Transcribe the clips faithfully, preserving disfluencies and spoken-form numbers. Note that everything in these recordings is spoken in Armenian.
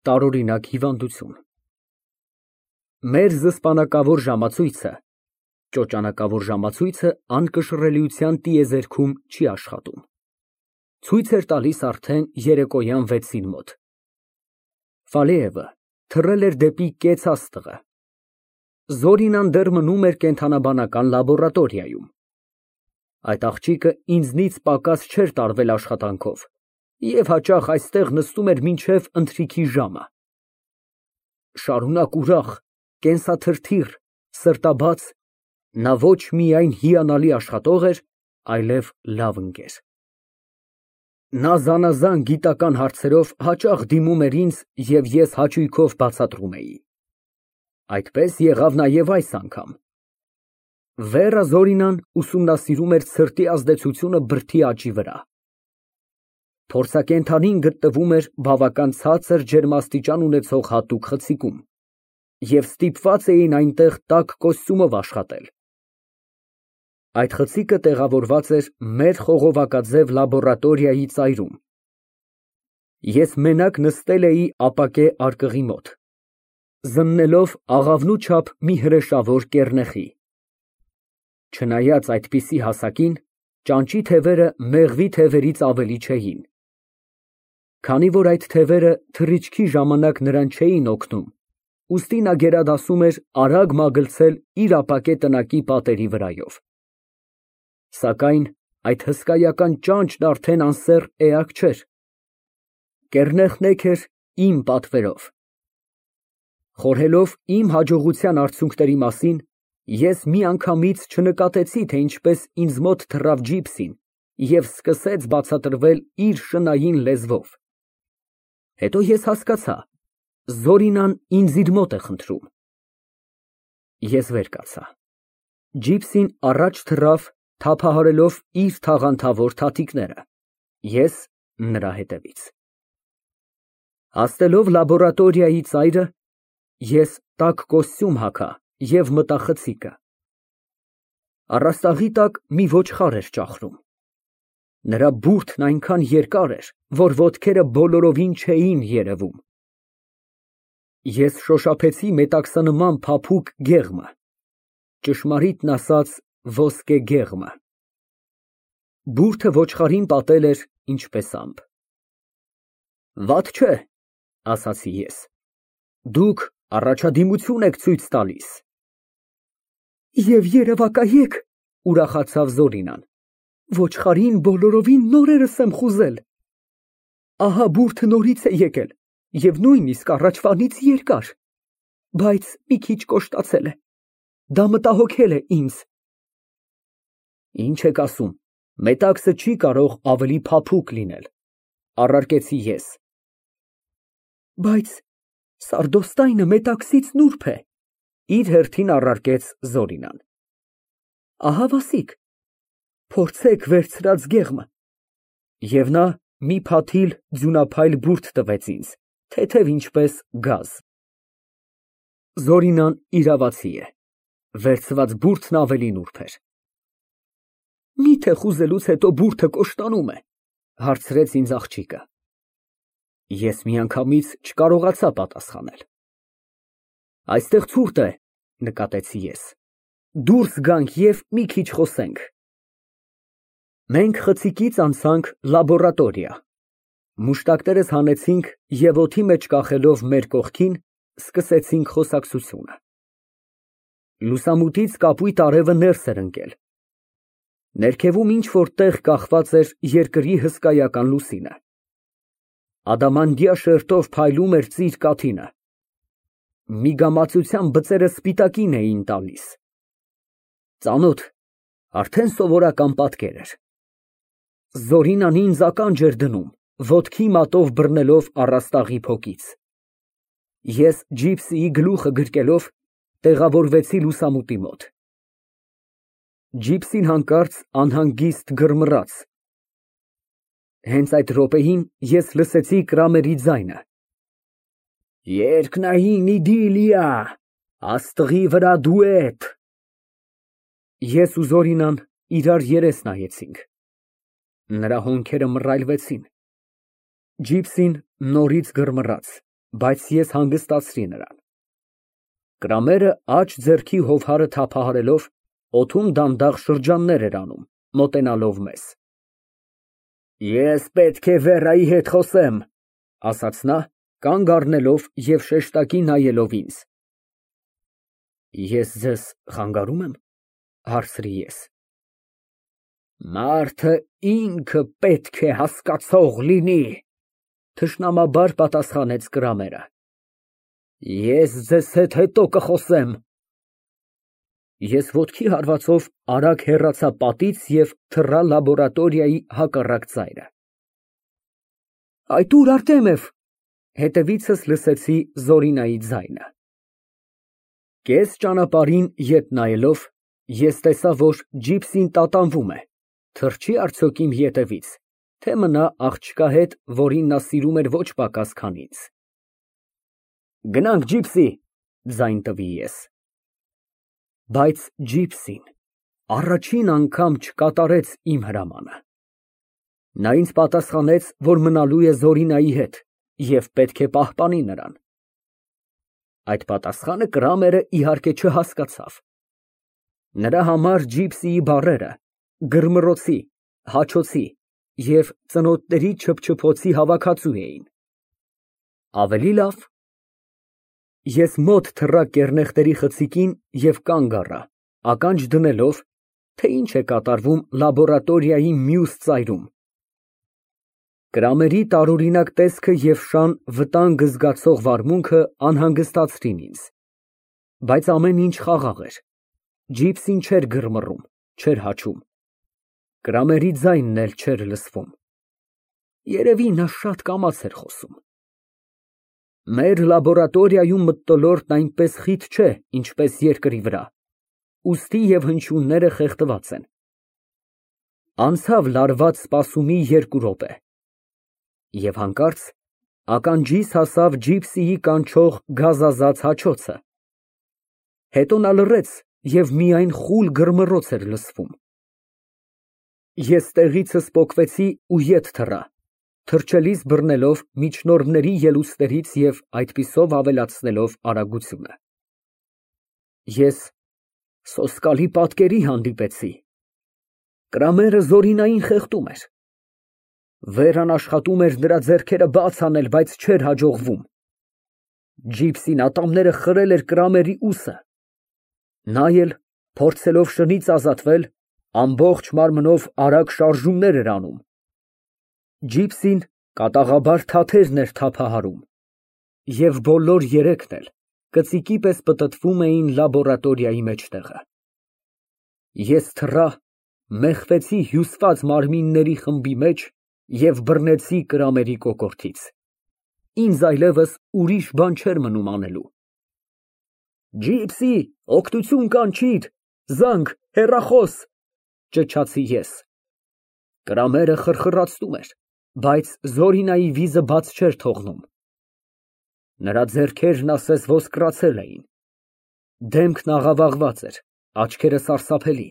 Տարօրինակ հիվանդություն։ Մեր զսպանակավոր ժամացույցը (ճոճանակավոր ժամացույցը անկշռելիության տիեզերքում) չի աշխատում։ Ցույց էր տալիս արդեն երեկոյան վեցին մոտ։ Ֆալեևը թռել էր դեպի կեց աստղը։ Զորինան դեռ մնում էր կենդանաբանական լաբորատորիայում։ Այդ աղջիկը ինձնից պակաս չէր տարվել աշխատանքով և հաճախ այստեղ նստում էր մինչև ընթրիքի ժամը։ Շարունակ ուրախ, կենսաթրթիռ, սրտաբաց, նա ոչ միայն հիանալի աշխատող էր, այլև լավ ընկեր։ Նա զանազան գիտական հարցերով հաճախ դիմում էր ինձ և ես հաճույքով բացատրում էի։ Այդպես եղավ նաև այս անգամ։ Վերա Զորինան ուսումնասիրում էր ցրտի ազդեցությունը բրդի աճի վրա։ Փորձակենդանին գտնվում էր բավական ցածր ջերմաստիճան ունեցող հատուկ խցիկում, և ստիպված էին այնտեղ տաք կոստյումով աշխատել։ Այդ խցիկը տեղավորված էր մեր խողովակաձև լաբորատորիայի ծայրում։ Ես մենակ նստել էի ապակե արկղի մոտ, զննելով աղավնու չափ մի հրեշավոր կեռնեխի։ Չնայած այդպիսի հասակին, ճանճի թևերը մեղվի թևերից ավելի չէին։ Քանի որ այդ թևերը թռիչքի ժամանակ նրան չէին օգնում, ուստի նա գերադասում էր արագ մագլցել իր ապակե տնակի պատերի վրայով։ Սակայն այդ հսկայական ճանճն արդեն անսեռ էակ չէր։ Կեռնեխն էգ էր իմ պատվերով։ Խորհելով իմ հաջողության արդյունքների մասին, ես միանգամից չնկատեցի, թե ինչպես ինձ մոտ թռավ Ջիպսին և սկսեց բացատրվել իր շնայուն լեզվով։ Հետո ես հասկացա, Զորինան ինձ իր մոտ է խնդրում։ Ես վեր կացա։ Ջիպսին առաջ թռավ, թափահարելով իր թաղանթավոր թաթիկները, ես նրա հետևից։ Հասնելով լաբորատորիայի ծայրը, ես տաք կոստյում հագա և մտա խցիկը։ Առաստաղի տակ մի ոչխար էր ճախրում։ Նրա բուրդն այնքան երկար էր, որ ոտքերը բոլորովին չէին երևում։ Ես շոշափեցի մետաքսնման փափուկ գեղմը, ճշմարիտն ասած ոսկե գեղմը։ Բուրդը ոչխարին պատել էր ինչպես ամպ։ Վատ չէ, ասացի ես, դուք առաջադիմություն եք ցույց տալիս։ Եվ երևակայեք, ուրախացավ Զորինան, ոչխարին բոլորովին նորերս եմ խուզել։ Ահա բուրդը նորից է եկել և նույնիսկ առաջվանից երկար, բայց մի քիչ կոշտացել է, դա մտահոգել է ինձ։ Ինչ եք ասում, մետաքսը չի կարող ավելի փափուկ լինել, առարկեցի ես։ Բայց սարդոստայնը մետաքսից նուրբ է, իր հերթին առարկեց Զորինան։ Ահա վասիկ, փորձեք վերցրած գեղմը։ Եվ նա մի փաթիլ ձյունափայլ բուրդ տվեց ինձ, թեթև ինչպես գազ։ Զորինան իրավացի է, վերցված բուրդն ավելի նուրբ էր։ Մի՞թե խուզելուց հետո բուրդը կոշտանում է, հարցրեց ինձ աղջիկը։ Ես միանգամից չկարողացա պատասխանել։ Այստեղ ցուրտ է, նկատեցի ես, դուրս գանք և մի քիչ խոսենք։ Մենք խցիկից անցանք լաբորատորիա։ Մուշտակներս հանեցինք և օդի մեջ կախելով մեր կողքին, սկսեցինք խոսակցությունը։ Լուսամուտից կապույտ արևը ներս էր ընկել։ Ներքևում ինչ֊որ տեղ կախված էր երկրի հսկայական լուսինը։ Ադամանդյա շերտով փայլում էր ծիր կաթինը։ Միգամածության բծերը սպիտակին էին տալիս։ Ծանոթ, արդեն սովորական պատկեր էր։ Զորինան ինձ ականջ էր դնում, ոտքի մատով բռնելով առաստաղի փոկից։ Ես Ջիպսիի գլուխը գրկելով տեղավորվեցի լուսամուտի մոտ։ Ջիպսին հանկարծ անհանգիստ գրմռաց։ Հենց այդ րոպեին ես լսեցի Կրամերի ձայնը. Երկնային իդիլիա, աստղի վրա դուետ։ Ես ու Զորինան իրար երես նայեցինք։ Նրա հոնքերը մռայլվեցին։ Ջիպսին նորից գրմռաց։ բայց ես հանգստացրի նրան։ Կրամերը աջ ձեռքի հովհարը թափահարելով, օդում դանդաղ շրջաններ էր անում, մոտենալով մեզ։ Ես պետք է Վերայի հետ խոսեմ, ասաց նա, կանգ առնելով և շեշտակի նայելով ինձ։ Ես ձեզ խանգարում եմ, հարցրի ես։ Մարդը ինքը պետք է հասկացող լինի, թշնամաբար պատասխանեց Կրամերը։ Ես ձեզ հետ հետո կխոսեմ։ Ես ոտքի հարվածով արագ հեռացա պատից և թռա լաբորատորիայի հակառակ ծայրը։ Այդ ո՞ւր, Արտեմև, հետևիցս լսեցի Զորինայի ձայնը։ Կես ճանապարհին ետ նայելով, ես տեսա, որ ջիպսին տատանվում է, թռչի արդյոք իմ ետևից, թե մնա աղջկա հետ, որին նա սիրում էր ոչ պակաս, քան ինձ։ Գնանք, ջիպսի, ձայն տվի ես։ Բայց ջիպսին առաջին անգամ չկատարեց իմ հրամանը։ Նա ինձ պատասխանեց, որ մնալու է Զորինայի հետ և պետք է պահպանի նրան։ Այդ պատասխանը Կրամերը իհարկե չհասկացավ։ Նրա համար ջիպսիի բառերը գրմռոցի, հաչոցի և ծնոտների չփչփոցի հավաքածու էին։ Ավելի լավ։ Ես մոտ թռա կեռնեխտերի խցիկին և կանգ առա, ականջ դնելով, թե ինչ է կատարվում լաբորատորիայի մյուս ծայրում։ Կրամերի տարօրինակ տեսքը և շան վտանգ զգացող վարմունքը անհանգստացրին ինձ։ Բայց ամեն ինչ խաղաղ էր, ջիպսին չէր գրմռում, չէր հաչում, Կրամերի ձայնն էլ չէր լսվում։ Երևի նա շատ կամաց էր խոսում։ Մեր լաբորատորիայում մթնոլորտն այնպես խիտ չէ, ինչպես երկրի վրա, ուստի և հնչյունները խեղդված են։ Անցավ լարված սպասումի երկու րոպե, և հանկարծ ականջիս հասավ ջիպսիի կանչող գազազած հաչոցը։ Հետո նա լռեց և միայն խուլ գրմռոց էր լսվում։ Ես տեղիցս պոկվեցի ու ետ թռա, թռչելիս բռնելով միջնորդների ելուստերից և այդպիսով ավելացնելով արագությունը։ Ես սոսկալի պատկերի հանդիպեցի։ Կրամերը Զորինային խեղդում էր։ Վերան աշխատում էր նրա ձեռքերը բաց անել, բայց չէր հաջողվում։ Ջիպսին ատամները խրել էր Կրամերի ուսը։ Նա էլ, փորձելով շնից ազատվել, ամբողջ մարմնով արագ շարժումներ էր անում։ Ջիպսին կատաղաբար թաթերն էր թափահարում, և բոլոր երեքն էլ կծիկի պես պտտվում էին լաբորատորիայի մեջտեղը։ Ես թռա, մեխվեցի հյուսված մարմինների խմբի մեջ և բռնեցի Կրամերի կոկորդից։ Ինձ այլևս ուրիշ բան չէր մնում անելու։ Ջիպսի, օգնություն կանչիր, զանգ, հեռախոս, ճչացի ես։ Կրամերը խրխրացնում էր, բայց Զորինայի վիզը բաց չէր թողնում։ Նրա ձեռքերն ասես ոսկրացել էին։ Դեմքն աղավաղված էր, աչքերը սարսափելի։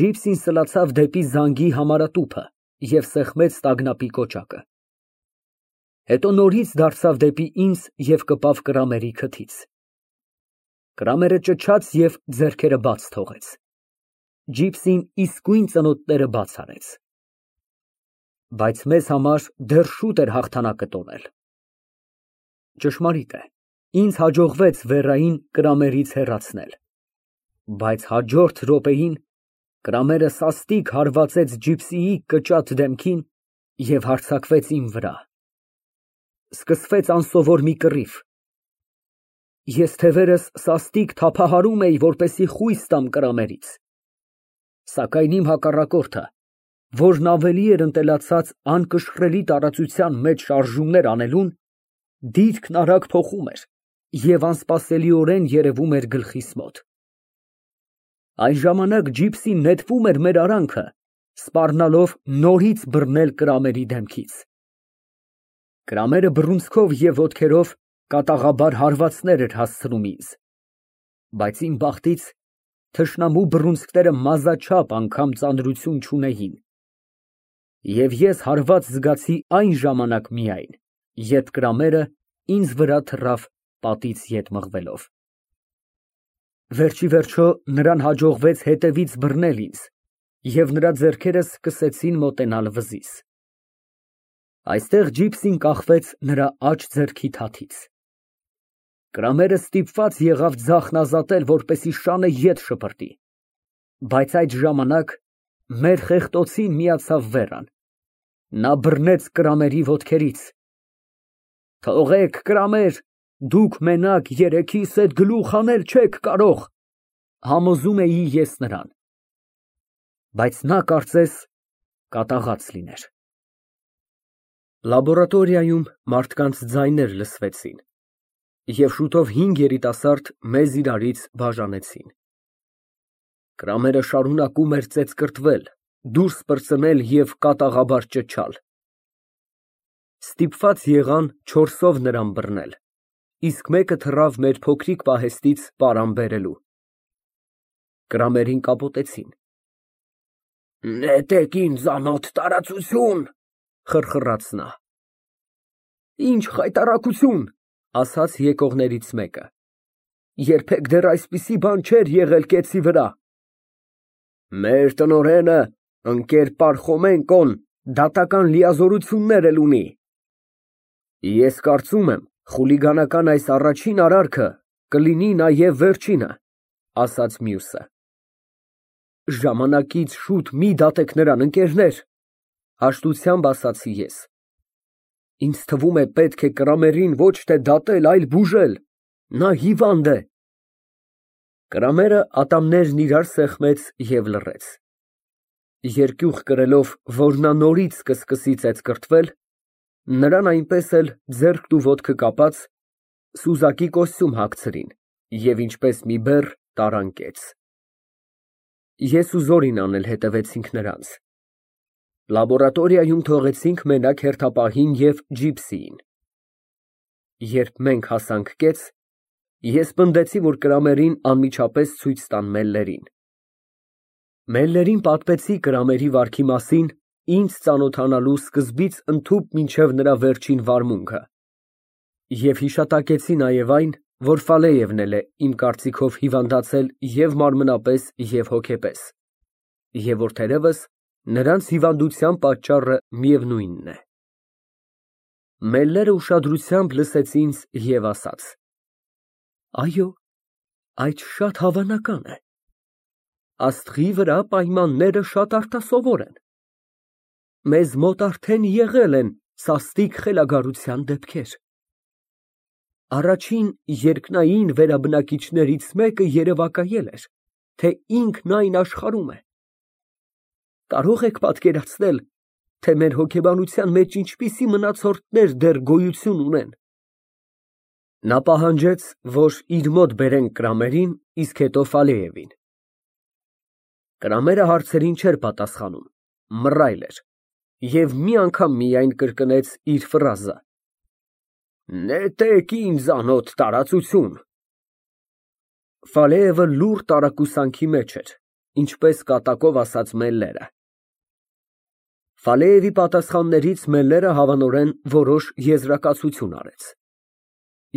Ջիպսին սլացավ դեպի զանգի համարատուփը և սեղմեց տագնապի կոճակը։ Հետո նորից դարձավ դեպի ինձ և կպավ Կրամերի քթից։ Կրամերը ճչաց և ձեռքերը բաց թողեց։ Ջիպսին իսկույն ծնոտները բաց արեց։ Բայց մեզ համար դեռ շուտ էր հաղթանակը տոնել։ Ճշմարիտ է, ինձ հաջողվեց Վերային Կրամերից հեռացնել։ Բայց հաջորդ րոպեին Կրամերը սաստիկ հարվածեց ջիպսիի կճատ դեմքին և հարձակվեց իմ վրա։ Սկսվեց անսովոր մի կռիվ։ Ես թևերս սաստիկ թափահարում էի, որպեսզի խույս տամ Կրամերից։ Սակայն իմ հակառակորդը, որն ավելի էր ընտելացած անկշռելի տարածության մեջ շարժումներ անելուն, դիրքն արագ փոխում էր և անսպասելիորեն երևում էր գլխիս մոտ։ Այն ժամանակ ջիպսին նետվում էր մեր արանքը, սպառնալով նորից բռնել Կրամերի դեմքից։ Կրամերը բռունցքով և ոտքերով կատաղաբար հարվածներ էր հասցնում ինձ, բայց իմ բախտից թշնամու բռունցքները մազաչափ անգամ ծանրություն չունեին, և ես հարված զգացի այն ժամանակ միայն, երբ Կրամերը ինձ վրա թռավ պատից ետ մղվելով։ Վերջիվերջո նրան հաջողվեց հետևից բռնել ինձ, և նրա ձեռքերը սկսեցին մոտենալ վզիս։ Այստեղ ջիպսին կախվեց նրա աջ ձեռքի թաթից։ Կրամերը ստիպված եղավ ձախն ազատել, որպեսզի շանը ետ շպրտի, բայց այդ ժամանակ մեր խեղտոցին միացավ Վերան։ Նա բռնեց Կրամերի ոտքերից։ Թողեք, Կրամեր, դուք մենակ երեքիս հետ գլուխ հանել չեք կարող, համոզում էի ես նրան։ Բայց նա կարծես կատաղած լիներ։ Լաբորատորիայում մարդկանց ձայներ լսվեցին, և շուտով հինգ երիտասարդ մեզ իրարից բաժանեցին։ Կրամերը շարունակում էր ծեծկռտվել, դուրս պրծնել և կատաղաբար ճչալ։ Ստիպված եղան չորսով նրան բռնել, իսկ մեկը թռավ մեր փոքրիկ պահեստից պարան բերելու։ Կրամերին կապոտեցին։ Նետեք ինձանոտ տարածություն, խռխռաց նա։ Ինչ խայտառակություն, ասաց եկողներից մեկը, երբեք դեռ այսպիսի բան չէր եղել կեցի վրա։ Մեր տնօրենը, ընկեր Պարխոմենկոն, դատական լիազորություններ էլ ունի։ Ես կարծում եմ, խուլիգանական այս առաջին արարքը կլինի նաև վերջինը, ասաց մյուսը։ Ժամանակից շուտ մի դատեք նրան, ընկերներ, հաշտությամբ ասացի ես։ Ինձ թվում է պետք է Կրամերին ոչ թե դատել, այլ բուժել, նա հիվանդ է։ Կրամերը ատամներն իրար սեղմեց և լռեց։ Երկյուղ կրելով, որ նա նորից կսկսի ծեծկռտվել, նրան այնպես էլ ձեռքն ու ոտքը կապած, սուզակի կոստյում հագցրին և ինչպես մի բեռ տարան կեց։ Ես ու Զորին անել հետևեցինք նրանց։ Լաբորատորիայում թողեցինք մենակ հերթապահին և ջիպսիին։ Երբ մենք հասանք կեց, ես պնդեցի, որ Կրամերին անմիջապես ցույց տան Մելլերին։ Մելլերին պատմեցի Կրամերի վարքի մասին, ինձ ծանոթանալու սկզբից ընդհուպ մինչև նրա վերջին վարմունքը, և հիշատակեցի նաև այն, որ Ֆալեևն էլ է իմ կարծիքով հիվանդացել և մարմնապես, և հոգեպես, և որ թերևս նրանց հիվանդության պատճառը միևնույնն է։ Մելլերը ուշադրությամբ լսեց ինձ և ասաց. Այո, այդ շատ հավանական է։ Աստղի վրա պայմանները շատ արտասովոր են։ Մեզ մոտ արդեն եղել են սաստիկ խելագարության դեպքեր։ Առաջին երկնային վերաբնակիչներից մեկը երևակայել էր, թե ինքն այն աշխարհում է։ Կարո՞ղ եք պատկերացնել, թե մեր հոգեբանության մեջ ինչպիսի մնացորդներ դեռ գոյություն ունեն։ Նա պահանջեց, որ իր մոտ բերենք Կրամերին, իսկ հետո Ֆալեևին։ Կրամերը հարցերին չէր պատասխանում, մռայլ էր և մի անգամ միայն կրկնեց իր ֆրազը. Նետեք ինձանոտ տարածություն։ Ֆալեևը լուռ տարակուսանքի մեջ էր, ինչպես կատակով ասաց Մելլերը։ Ֆալեևի պատասխաններից Մելլերը հավանորեն որոշ եզրակացություն արեց։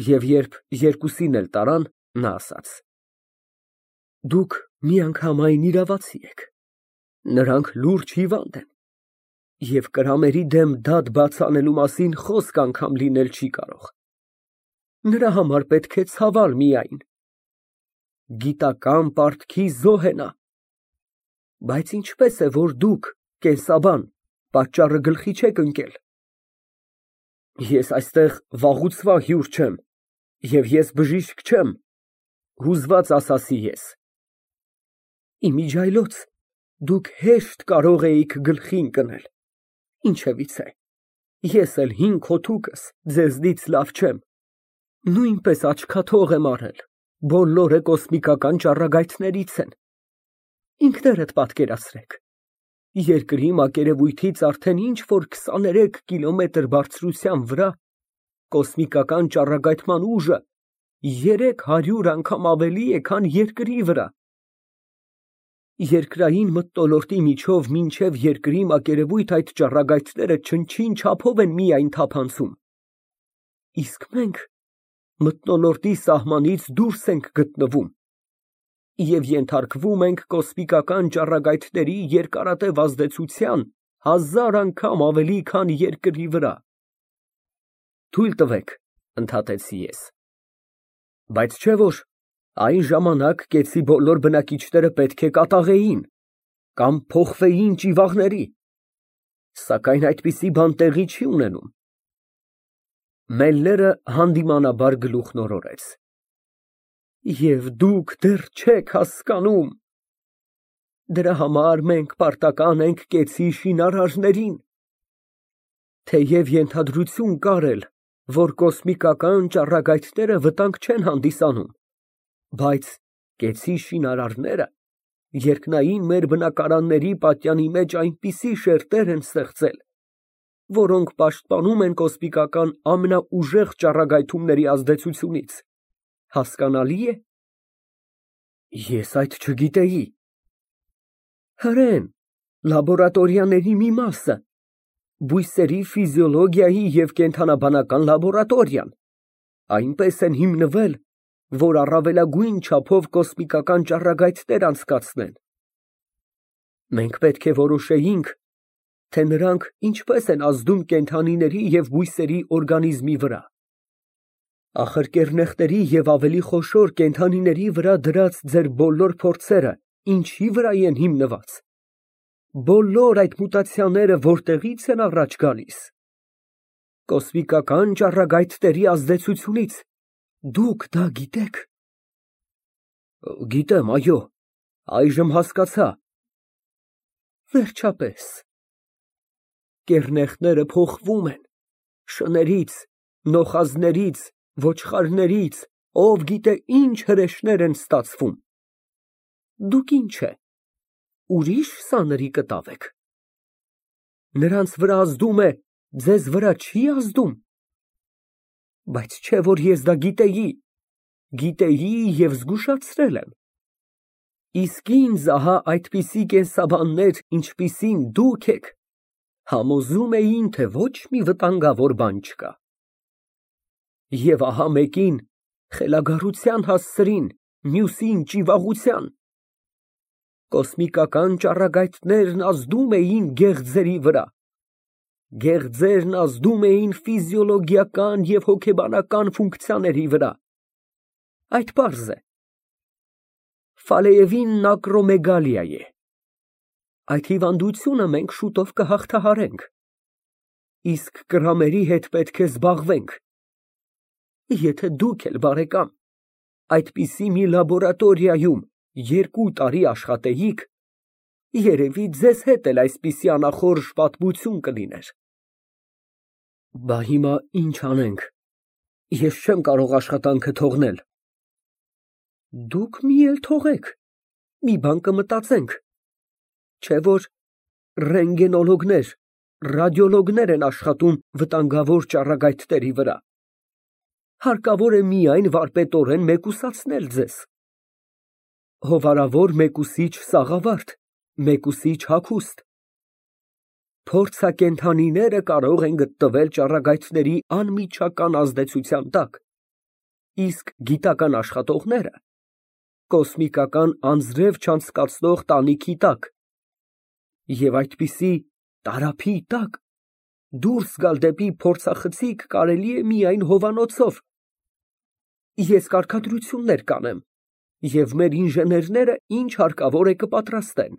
Եվ երբ երկուսին էլ տարան, նա ասաց. Դուք միանգամայն իրավացի եք, նրանք լուրջ հիվանդ են, և Կրամերի դեմ դատ բաց անելու մասին խոսք անգամ լինել չի կարող։ Նրա համար պետք է ցավալ միայն։ Գիտական պարտքի զոհ է նա։ Բայց ինչպես է, որ դուք, կենսաբան, պատճառը գլխի չեք ընկել։ Ես այստեղ վաղուցվա հյուր չեմ, և ես բժիշկ չեմ, հուզված ասացի ես։ Իմիջիայլոց դուք հեշտ կարող էիք գլխի ընկնել, ինչևիցե, ես էլ հինգ հոգուկս ձեզնից լավ չեմ, նույնպես աչքաթող եմ արել, բոլորը կոսմիկական ճառագայթներից են, ինքներդ պատկերացրեք, երկրի մակերևույթից արդեն ինչ֊որ քսաներեք կիլոմետր բարձրության վրա կոսմիկական ճառագայթման ուժը երեք հարյուր անգամ ավելի է, քան երկրի վրա։ Երկրային մթնոլորտի միջով մինչև երկրի մակերևույթ այդ ճառագայթները չնչին չափով են միայն թափանցում։ Իսկ մենք մթնոլորտի սահմանից դուրս ենք գտնվում և ենթարկվում ենք կոսմիկական ճառագայթների երկարատև ազդեցության հազար անգամ ավելի, քան երկրի վրա։ Թույլ տվեք, ընդհատեցի ես, բայց չէ՞ որ այն ժամանակ կեցի բոլոր բնակիչները պետք է կատաղեին կամ փոխվեին ճիվաղների, սակայն այդպիսի բան տեղի չի ունենում։ Մելլերը հանդիմանաբար գլուխն օրորեց։ Եվ դուք դեռ չեք հասկանում։ Դրա համար մենք պարտական ենք կեցի շինարարներին։ Թեև ենթադրություն կար էլ, որ կոսմիկական ճառագայթները վտանգ չեն հանդիսանում, բայց կեցի շինարարները երկնային մեր բնակարանների պատյանի մեջ այնպիսի շերտեր են ստեղծել, որոնք պաշտպանում են կոսմիկական ամենաուժեղ ճառագայթումների ազդեցությունից, հասկանալի է։ Ես այդ չգիտեի։ Հրեն, լաբորատորիաների մի մասը, բույսերի ֆիզիոլոգիայի և կենդանաբանական լաբորատորիան, այնպես են հիմնվել, որ առավելագույն չափով կոսմիկական ճառագայթներ անցկացնեն։ Մենք պետք է որոշեինք, թե նրանք ինչպես են ազդում կենդանիների և բույսերի օրգանիզմի վրա։ Ախր կեռնեխների և ավելի խոշոր կենդանիների վրա դրած ձեր բոլոր փորձերը ինչի վրա են հիմնված։ Բոլոր այդ մուտացիաները որտեղի՞ց են առաջ գալիս։ Կոսմիկական ճառագայթների ազդեցությունից։ Դուք դա գիտե՞ք։ Գիտեմ, այո, այժմ հասկացա։ Վերջապես։ Կեռնեխները փոխվում են, շներից, նոխազներից, ոչխարներից, ով գիտե ինչ հրեշներ են ստացվում։ Դուք ինչ է, ուրիշ սանրի կտավ եք։ Նրանց վրա ազդում է, ձեզ վրա չի ազդում։ Բայց չէ որ ես դա գիտեի, գիտեի և զգուշացրել եմ։ Իսկ ինձ ահա այդպիսի կենսաբաններ, ինչպիսին դուք եք, համոզում էին, թե ոչ մի վտանգավոր բան չկա։ Եվ ահա մեկին խելագարության հասցրին, մյուսին ճիվաղության։ Կոսմիկական ճառագայթներն ազդում էին գեղձերի վրա, գեղձերն ազդում էին ֆիզիոլոգիական և հոգեբանական ֆունկցիաների վրա։ Այդ պարզ է։ Ֆալեևին ակրոմեգալիա է։ Այդ հիվանդությունը մենք շուտով կհաղթահարենք, իսկ կրամերի հետ պետք է զբաղվենք։ Եթե դուք էլ, բարեկամ, այդպիսի մի լաբորատորիայում երկու տարի աշխատեիք, երևի ձեզ հետ էլ այսպիսի անախորժ պատմություն կլիներ։ Բա հիմա ինչ անենք, ես չեմ կարող աշխատանքը թողնել։ Դուք մի էլ թողեք, մի բան կմտածենք, չէ որ ռենտգենոլոգներ, ռադիոլոգներ են աշխատում վտանգավոր ճառագայթների վրա։ Հարկավոր է միայն վարպետորեն մեկուսացնել ձեզ։ Հովանավոր մեկուսիչ սաղավարտ, մեկուսիչ հագուստ։ Փորձակենդանիները կարող են գտնվել ճառագայթների անմիջական ազդեցության տակ, իսկ գիտական աշխատողները կոսմիկական անձրև չանցկացնող տանիքի տակ, և այդպիսի տարափի տակ դուրս գալ դեպի փորձախցիկ կարելի է միայն հովանոցով։ Ես կարգադրություններ կանեմ, և մեր ինժեներները ինչ հարկավոր է կպատրաստեն։